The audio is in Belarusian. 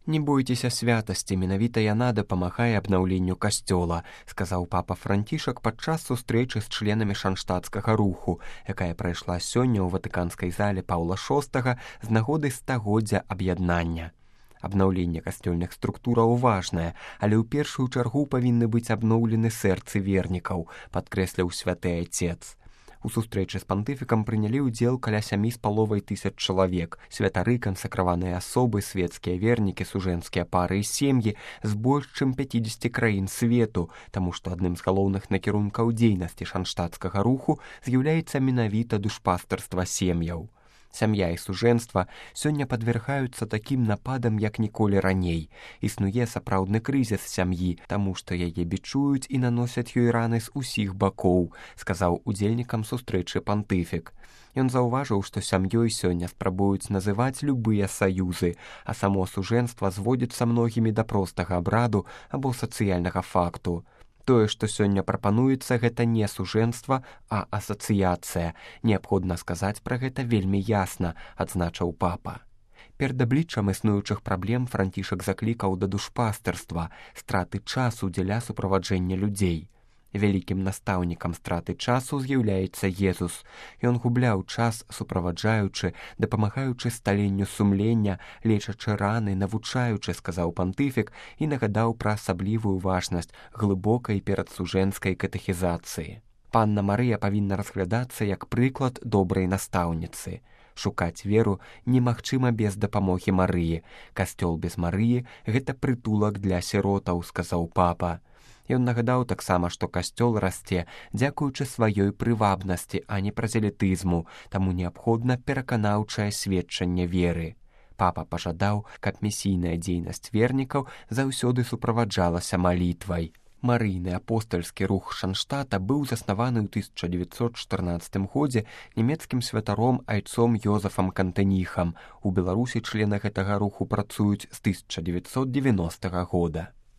Не бойцеся святасці, менавіта яна дапамагае абнаўленню касцёла, сказаў папа Францішак падчас сустрэчы з членамі шанштатскага руху, якая прайшла сёння ў ватыканскай зале Паўла VI з нагоды стагоддзя аб'яднання. Абнаўленне касцёльных структураў важнае, але ў першую чаргу павінны быць абноўлены сэрцы вернікаў, падкрэсліў святы айцец. У сустрэчы з пантыфікам прынялі ўдзел каля 7,5 тысяч чалавек, святары, кансакраваныя асобы, свецкія вернікі, сужэнскія пары і сем'і з больш чым 50 краін свету, таму што адным з галоўных накірункаў дзейнасці шанштатскага руху з'яўляецца менавіта душпастарства сем'яў. Сям'я і сужэнства сёння падвяргаюцца такім нападам, як ніколі раней. Існуе сапраўдны крызіс сям'і, таму што яе бічуюць і наносяць ёй раны з усіх бакоў, сказаў удзельнікам сустрэчы пантыфік. Ён заўважыў, што сям'ёй сёння спрабуюць называць любыя саюзы, а само сужэнства зводзіцца многімі да простага абраду або сацыяльнага факту. Тое, што сёння прапануецца, гэта не сужэнства, а асацыяцыя. Неабходна сказаць пра гэта вельмі ясна, адзначыў папа. Перад абліччам існуючых праблем Францішак заклікаў да душпастарства, страты часу дзеля суправаджэння людзей. Вялікім настаўнікам страты часу з'яўляецца Езус. Ён губляў час, суправаджаючы, дапамагаючы сталенню сумлення, лечачы раны, навучаючы, сказаў пантыфік і нагадаў пра асаблівую важнасць глыбокай перадсужэнскай катэхізацыі. Панна Марыя павінна разглядацца як прыклад добрай настаўніцы. Шукаць веру немагчыма без дапамогі Марыі. Касцёл без Марыі – гэта прытулак для сіротаў, сказаў папа. Ён нагадаў таксама, што касцёл расце дзякуючы сваёй прывабнасці, а не празелітызму, таму неабходна пераканаўчае сведчанне веры. Папа пажадаў, каб місійная дзейнасць вернікаў заўсёды суправаджалася малітвай. Марыйны апостальскі рух Шанштата быў заснаваны ў 1914 годзе нямецкім святаром айцом Йозефам Кантеніхам. У Беларусі члены гэтага руху працуюць з 1990 года.